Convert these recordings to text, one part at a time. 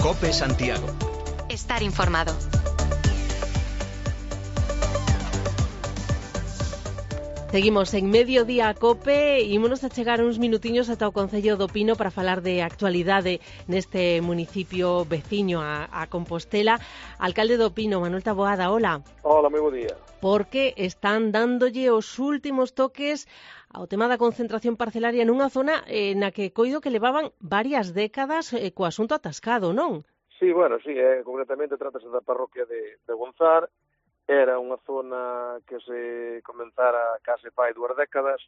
COPE Santiago. Estar informado. Seguimos en Mediodía COPE e ímonos a chegar uns minutiños ata o Concello do Pino para falar de actualidade neste municipio veciño a Compostela. Alcalde do Pino, Manuel Taboada, hola. Hola, moi bo día. Porque están dándolle os últimos toques ao tema da concentración parcelaria nunha zona na que coido que levaban varias décadas co asunto atascado, non? Sí, bueno, sí, concretamente trátase da parroquia de Gonzar. Era unha zona que se comenzara case fai 2 décadas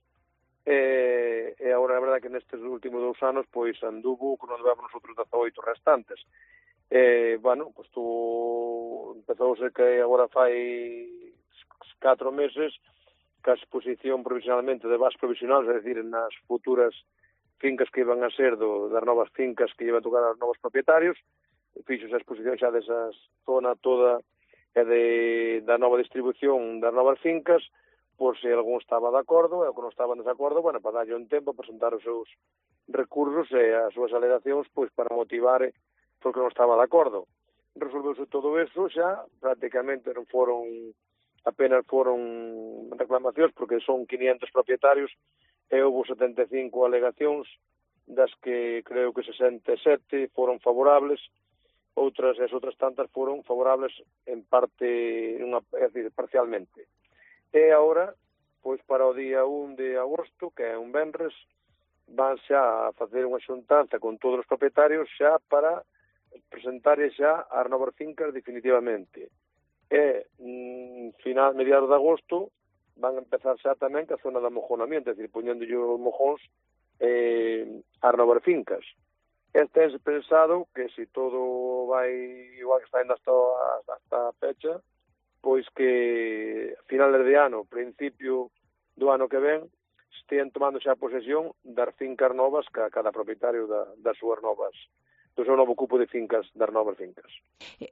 e agora a verdade que nestes últimos 2 anos pois anduvo con onde vamos nosotros 18 restantes. Bueno, pois empezouse que agora fai 4 meses que a exposición provisionalmente de bases provisionales, é dicir, nas futuras fincas que iban a ser das novas fincas que iban a tocar aos novos propietarios, fixose a exposición xa desa zona toda e da nova distribución das novas fincas, por se algún estaba de acordo e o que non estaba en desacordo, bueno, para darlle un tempo a presentar os seus recursos e as súas alegacións pois para motivar porque non estaba de acordo. Resolveuse todo eso xa, prácticamente apenas foron reclamacións porque son 500 propietarios e houve 75 alegacións das que creo que 67 foron favorables, as outras tantas foron favorables en parte, é dicir, parcialmente. E agora, pois para o día 1 de agosto, que é un venres, van xa a facer unha xuntanza con todos os propietarios xa para presentar xa as novas fincas definitivamente. E mediados de agosto van a empezar xa tamén que a zona de amojonamiento, é dicir, poñéndolle os mojóns as novas fincas. Tense pensado que se todo vai igual que está indo hasta a fecha, pois que a finales de ano, principio do ano que ven, estean tomando xa posesión das fincas novas que cada propietario das súas novas, do seu novo cupo de fincas, das novas fincas.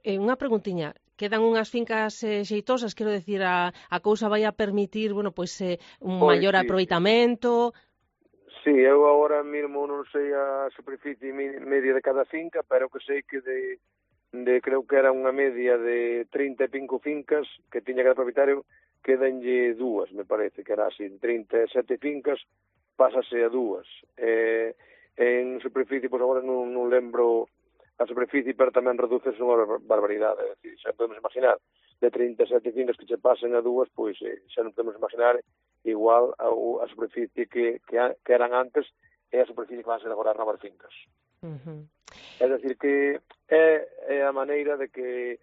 Unha preguntiña, quedan unhas fincas xeitosas, quero decir, a cousa vai a permitir, bueno, pois un maior aproveitamento. Sí, eu agora mesmo non sei a superficie media de cada finca, pero que sei que creo que era unha media de 35 fincas que tiña cada propietario, quedanlle 2, me parece que era así, 37 fincas, pásase a 2. En superficie, pois agora non lembro a superficie, pero tamén reduces unha barbaridade, é dicir, xa podemos imaginar, de 37 fincas que che pasen a 2, pois xa non podemos imaginar igual a superficie que eran antes e a superficie que van a ser agora as novas fincas. É dicir, que é a maneira de que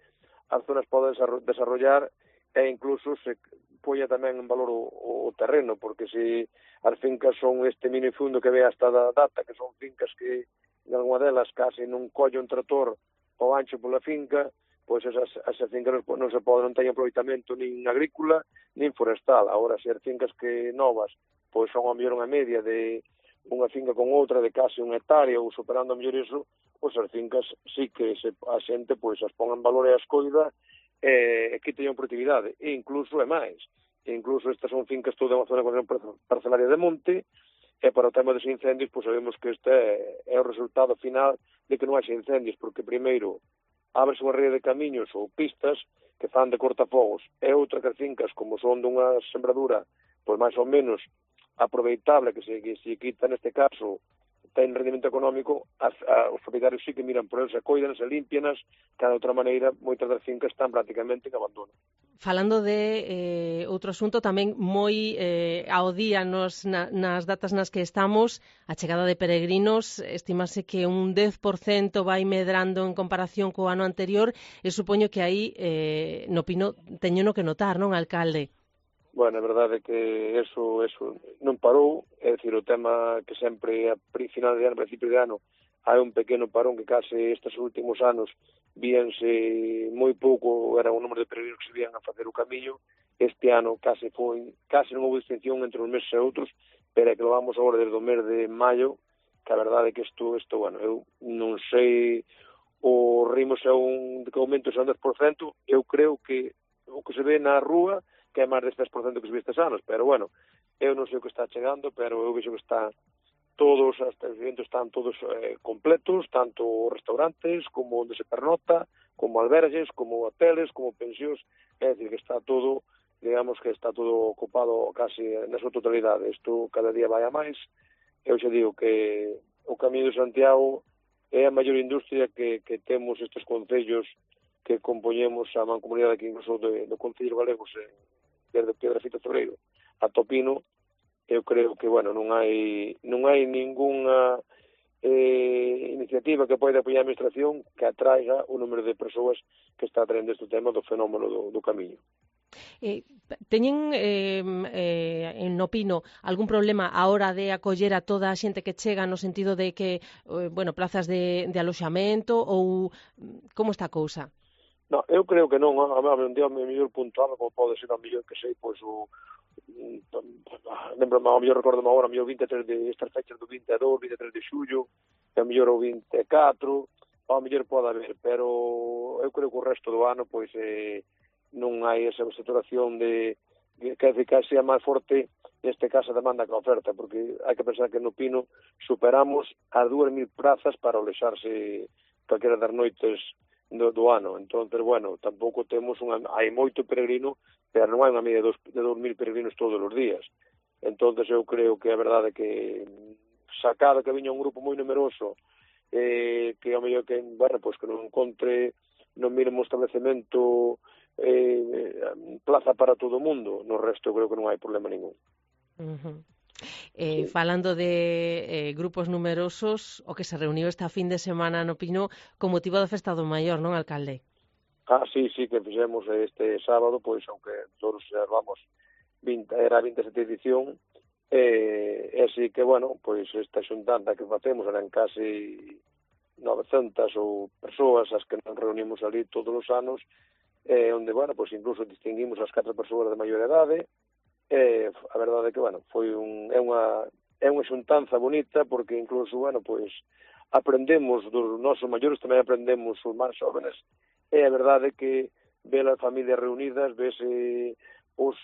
as zonas poden desarrollar e incluso se poña tamén en valor o terreno, porque se as fincas son este minifundo que ve hasta da data, que son fincas que en alguna delas case non colle un trator ao ancho pola finca, pois esas fincas non teñen aproveitamento nin agrícola nin forestal. Agora, se as fincas que novas pois son a mellor unha media de unha finca con outra de case 1 hectárea ou superando a mellor iso, pois as fincas sí que a xente pois as pon en valor e as coida e que teñan produtividade. E incluso é máis. Incluso estas son fincas toda unha zona de parcelaria de monte e para o tema dos incendios pois sabemos que este é o resultado final de que non haxe incendios, porque primeiro ábrese unha rede de camiños ou pistas que fan de cortafogos e outra que as fincas, como son dunha sembradura pois máis ou menos aproveitable, que se quita neste caso ten rendimento económico, os propietarios sí que miran por eles, se coidan, se limpianas, que de outra maneira moitas das fincas están prácticamente en abandono. Falando de outro asunto tamén moi ao día nas datas nas que estamos, a chegada de peregrinos, estimase que un 10% vai medrando en comparación co ano anterior e supoño que aí no Pino teñeno que notar, non, alcalde? Bueno, a verdade é que eso non parou, é dicir, o tema que sempre a final de ano, principio de ano, hai un pequeno parón que case estes últimos anos víanse moi pouco, era o número de peregrinos que se vían a facer o camiño. Este ano case non houve distinción entre uns meses e outros, pero é que lo vamos agora desde o mes de maio, que a verdade é que isto, bueno, eu non sei o ritmo se é que aumento se é un 10%, eu creo que o que se ve na rúa que é máis deste 10% que se ve estes anos, pero bueno, eu non sei o que está chegando, pero eu vexo que está todos os estabelecimentos están todos completos, tanto restaurantes como onde se pernota, como albergues, como hoteles, como pensións, é dicir, que está todo, digamos que está todo ocupado casi na súa totalidade. Isto cada día vai a máis. Eu xa digo que o Camiño de Santiago é a maior industria que temos estes concellos que compoñemos a mancomunidade aquí incluso do Concello Galego, desde Piedrafita Torreiro a Topino. Eu creo que, bueno, non hai ningunha iniciativa que poida apoiar a administración que atraiga o número de persoas que está atraendo este tema do fenómeno do camiño. Teñen en Opino algún problema a hora de acoller a toda a xente que chega no sentido de que, plazas de aloxamento ou como está a cousa? Non, eu creo que non, a mellor puntual, como pode ser a mellor que sei, pois lembro, a mellor recordo agora, a mellor 23 de estas fechas do 22, 23 de xullo, a mellor o 24, a mellor pode haber, pero eu creo que o resto do ano, pois, non hai esa saturación de que sea máis forte neste caso a demanda que a oferta, porque hai que pensar que no Pino superamos as 2.000 prazas para alexarse calquera das noites do ano. Entón, bueno, tampouco temos hai moito peregrino, pero non hai unha media de 2.000 peregrinos todos os días. Entón, eu creo que a verdade que sacado que viña un grupo moi numeroso, que ao mellor que, bueno, pois que non encontre no mínimo establecemento plaza para todo o mundo, no resto creo que non hai problema ningún. Sí. Falando de grupos numerosos, o que se reuniu esta fin de semana no Pino con motivo da Festa do Maior, non, alcalde? Sí, que fixemos este sábado, pois, aunque todos observamos, era a 27 edición, así que, bueno, pois esta xuntanda que facemos eran casi 900 ou persoas as que nos reunimos ali todos os anos, onde, bueno, pois incluso distinguimos as 4 persoas de maior idade. A verdade é que, bueno, é unha xuntanza bonita, porque incluso, bueno, pois aprendemos dos nosos maiores, tamén aprendemos os máis jóvenes, e a verdade é que ver as familias reunidas, vese os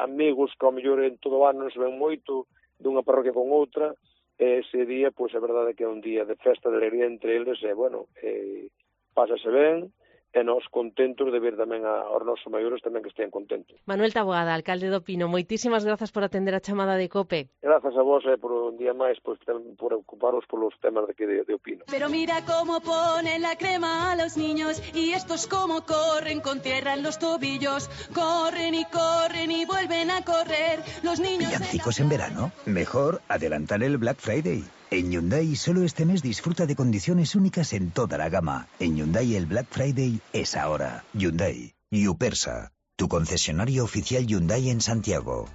amigos que ao mellor en todo o ano non se ven moito dunha parroquia con outra, ese día, pois a verdade é que é un día de festa, de alegría entre eles, e, bueno, pásase ben, e nós contentos de ver tamén aos nosos maiores tamén que estén contentos. Manuel Taboada, alcalde do Pino, moitísimas grazas por atender a chamada de COPE. Grazas a vos por un día máis, pois, por ocuparos polos temas de Pino. Pero mira cómo ponen la crema a los niños y estos como corren con tierra en los tobillos. Corren y vuelven a correr los niños. ¿Villancicos en verano? Mejor adelantar el Black Friday. En Hyundai solo este mes disfruta de condiciones únicas en toda la gama. En Hyundai el Black Friday es ahora. Hyundai, Yupersa, tu concesionario oficial Hyundai en Santiago.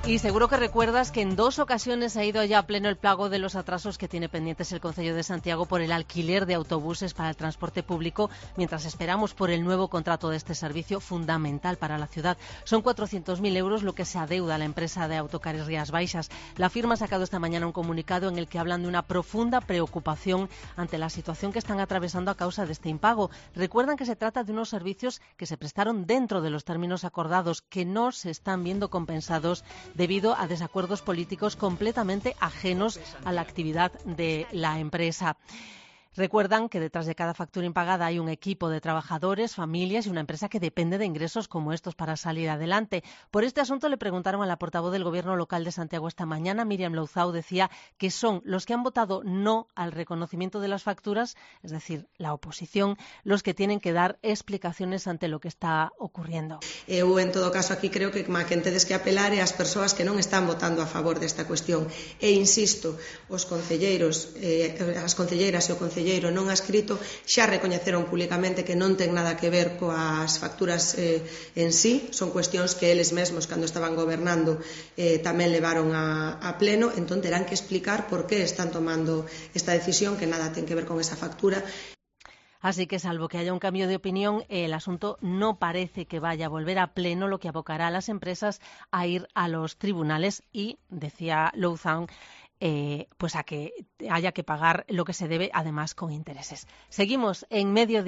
Y seguro que recuerdas que en 2 ocasiones ha ido ya a pleno el pago de los atrasos que tiene pendientes el Concello de Santiago por el alquiler de autobuses para el transporte público, mientras esperamos por el nuevo contrato de este servicio fundamental para la ciudad. Son 400.000 euros lo que se adeuda a la empresa de autocares Rías Baixas. La firma ha sacado esta mañana un comunicado en el que hablan de una profunda preocupación ante la situación que están atravesando a causa de este impago. Recuerdan que se trata de unos servicios que se prestaron dentro de los términos acordados, que no se están viendo compensados debido a desacuerdos políticos completamente ajenos a la actividad de la empresa. Recuerdan que detrás de cada factura impagada hay un equipo de trabajadores, familias y una empresa que depende de ingresos como estos para salir adelante. Por este asunto le preguntaron a la portavoz del Gobierno local de Santiago esta mañana, Míriam Louzao, decía que son los que han votado no al reconocimiento de las facturas, es decir, la oposición, los que tienen que dar explicaciones ante lo que está ocurriendo. Eu, en todo caso, aquí creo que quen tedes que apelar é as persoas que non están votando a favor desta cuestión. E insisto, os concelleiros, as concelleiras e o concelleiro non adscrito xa recoñeceron públicamente que non ten nada que ver coas facturas en sí, son cuestións que eles mesmos cando estaban gobernando tamén levaron a pleno, entón terán que explicar por que están tomando esta decisión que nada ten que ver con esa factura. Así que, salvo que haya un cambio de opinión, el asunto no parece que vaya a volver a pleno, lo que abocará a las empresas a ir a los tribunales y, decía Louzao, pues a que haya que pagar lo que se debe, además con intereses. Seguimos en Mediodía.